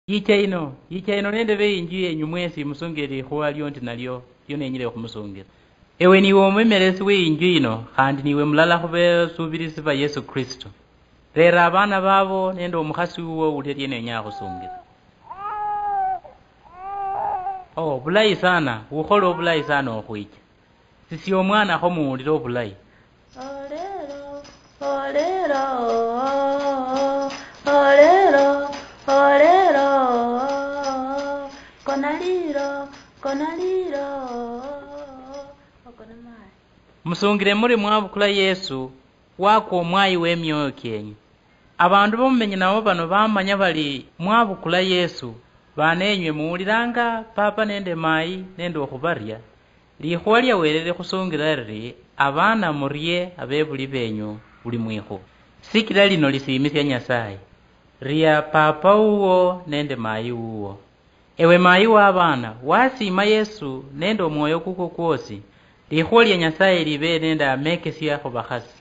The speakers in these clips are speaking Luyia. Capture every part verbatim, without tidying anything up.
Yicha ino, yicha ino nende beyinju yenyu mwesi musungire likhuwa liondi nalio lio nenyile okhumusungira. Ewe niwe omwemeresi weyinju yino, khandi niwe mulala khubesubirisi ba Yesu Kristo. Rera abana babo nende omukhasi wuwo ulia lienenya akhusungire. Oh, bulayi sana, ukhole obulayi sana okhwicha. Sisi omwana kho muwulire obulayi. Olero, olero, olero, olero, kona liro, kona liro, okona mayi. Musungire muri mwabukula Yesu, wakwa omwayi w'emioyo kienyu. Abandu bomumenye nabo bano bamanya bali mwabukula Yesu, bana enywe muwuliranga papa nende mayi nende okhubaria, likhuwa lia Wele likhusungila liri, abana murie abebuli benyu buli mwikhuwa. Sikila lino lisiimisia Nyasaye, ria papa wuwo nende mayi wuwo. Ewe mayi w'abaana, wasiima Yesu nende omwoyo kukwo kwosi, likhuwa lia Nyasaye libe nende amekesia khubakhasi.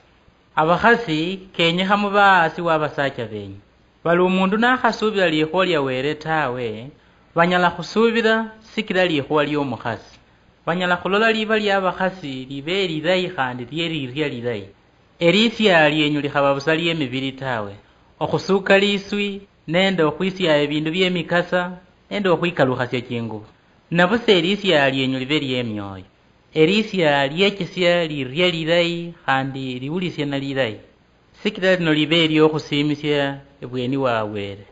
Abakhasi, kenyekha mube aasi w'abasacha benyu. Bali omundu nakhasubila likhuwa lia Wele tawe, banyala khusubila sikila likhuwa liomukhasi. Banyala khulola liba liabakhasi libe elilayi khandi lieliria lilayi. Elisia lienyu likhaba busa liemibili tawe, okhusuka liswi, nende okhwisiaya ebindu biemikasa, nende okhwikalukhasia chingubo. Nabusa elisia lienyu libe liemioyo, elisia liechesia lirie lilayi khandi liwulisiana lilayi, sikila lino libe eliokhusiimisia ebweni wa Wele.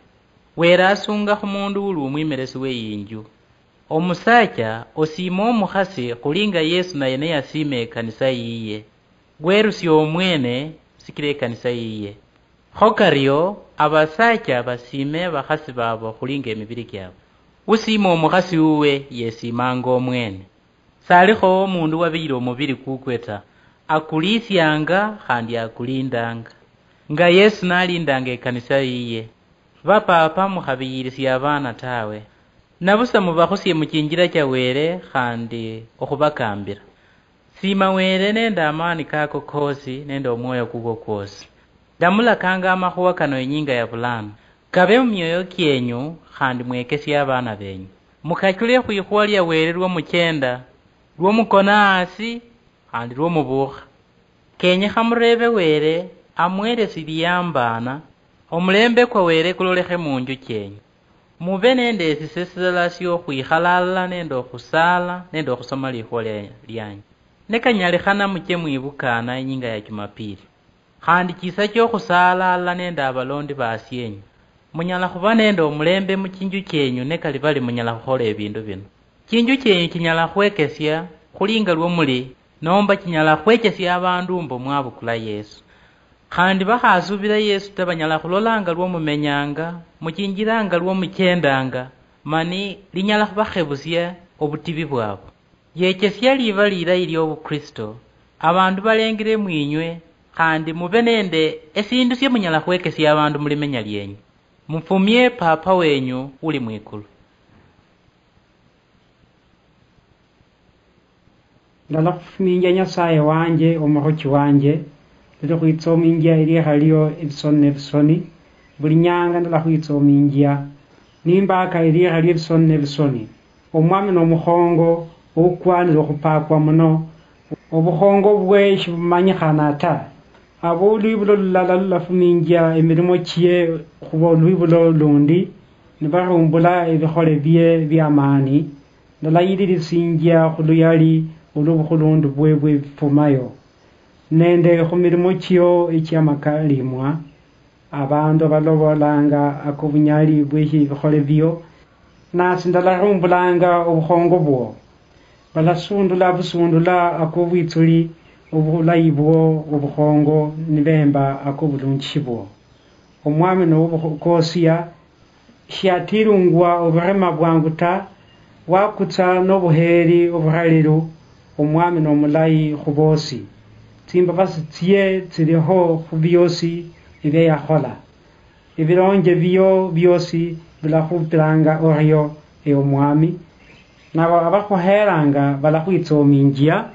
Wele asunga khumundu uli omwimeresi weyinju. Omusacha osiima omukhasi khuli nga Yesu naye niyasiima ekanisa yiye, werusia omwene sikila ekanisa yiye. Kho kario, abasacha basiime abakhasi babo khuli nga emibili kiabwe. Usiima omukhasi wuwe yesiimanga omwene. Salikho omundu wabiyira omubili kukwe ta, akulisianga khandi akulindanga, nga Yesu nalindanga ekanisa yiye. Bapapa, mukhabiyirisia abaana tawe, nabusa mubakhusie muchinjila cha Wele khandi okhubakambila. Siima Wele nende amaani kako koosi nende omwoyo kukwo kwosi. Ndamulakanga amakhuwa kano inyinga ya bulano, kabe mumioyo kienyu khandi mwekesie abaana benyu. Mukachule khwikhuwa lia Wele lwomuchenda, lwomukona hasi, khandi lwomubuukha. Kenyekha mureebe Wele amuheresi liyambaana, omulembe kwa Wele kulolekhe munju chienyu. Mube nende esise silala siokhwikhala alala nende okhusaala nende okhusoma likhuwa lia-, lianyu. Nikanyalikhana muche mwibukaana inyinga ya Jumapili. Khandi chisa chiokhusaalala nende abalondi basienyu. Munyala khuba nende omulembe muchinju chienyu nikali bali munyala khukhola ebindu bino. Chinju chienyu chinyala khwekesia khuli nga lwo muli, nomba chinyala khwechesia abandu mbu mwabukula Yesu. Khandi bakhasubila Yesu ta, banyala khulola nga lwo mumenyanga, muchinjila nga lwo muchendanga, mani linyala khubakhebusia obutibi bwabo. Yechesia liba lilayi liobukristo, abandu balengile mwinywe, khandi mube nende esindu sia munyala khwekesia abandu mulimenya lienyu. Mufumie Papa wenyu uli mwikulu. Ndalakhufuminjia Nyasaye wanje, omukhochi wanje, ndalakhwitsominjia elikha lio ebisoni nebisoni. Buli nyanga ndalakhwitsominjia, nimbaka elikha lio ebisoni nebisoni. Omwami nomukhongo oukwanire okhupakwa muno, obukhongo bwe shibumanyikhana ta. Abo olwibulo lulala lulafuminjia emirimo chie khuba olwibulo lundi, nibarumbula ebikhole bie biamaani, ndalayiririsinjia khuluyali olwobukhulundu bwe bwebifumayo, nende khumirimo chio echiamakalimwa. Abandu balobolanga akobunyali bweshibikhole bio, nasi ndalarumbulanga obukhongo bwo. Balasundula busundula akobwitsuli obulayi bwo obukhongo, nibemba akobulunjishi bwo. Omwami nowobukosia, shiatilungwa obirema bwangu ta, wakutsa nobuheeri oburalilu. Omwami nomulayi khuboosi, tsimbabasi tsie tsiliho khubiosi ebia yakhola. Ebilonje bio biosi bilakhupilanga orio, ewe Omwami, nabo abakhuheeranga balakhwitsoominjia,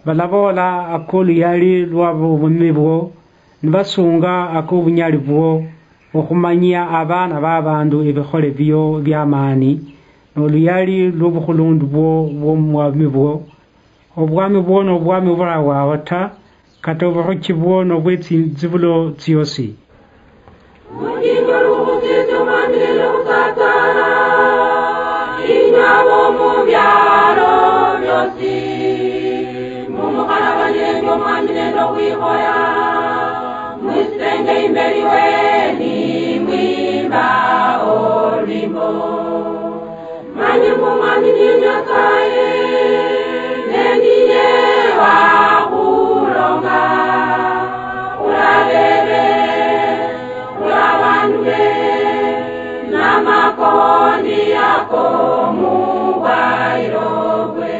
balaboola akoluyali lwabobumi bwo, nibasunga akobunyali bwo. Okhumanyia abaana b'abandu ebikhole bio biamaani, noluyali lwobukhulundu bwo bwomubwami bwo. Obwami bwo nobwami oburawaho ta, kata oburuchi bwo nobwetsinzibulo tsiosi. Mutingo lukhusiesia omwami nende okhusatana, inywe abo mubialo biosi, mumukhalabanie nende omwami nende okhwikhoya, mwisitenge imberi we nimwimba olwimbo. Manye mbu Omwami niye Nyasaye, ne niye wakhulonga khulwa bebe, khulwa bandu be, namakondi ako mubwayiro bwe.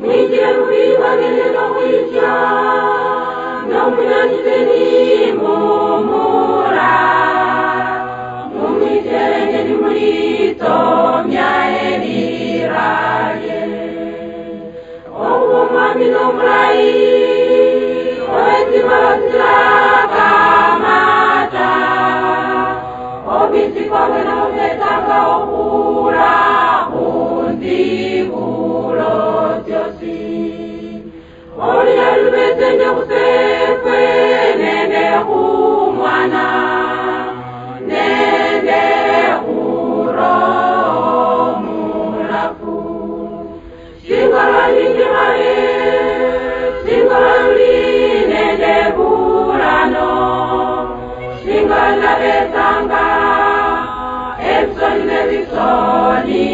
Mwinjire mubiribwa nende nokhwicha, nomunyanise nimumura, mumwiterenge nimulitomia elira lye. Okhuba Omwami nomulayi, owetsimbabazi tsilakama ta, obwitsi kwabwe nobubetsanga okhula khunzibulo tsiosi. Olunyali lubetsenge khusefwe nende khumwana nende khuroho mulafu. Shinga lwali ndi khale, shinga lwali nende bulano, shinga ndabetsanga ebisoni nebisoni.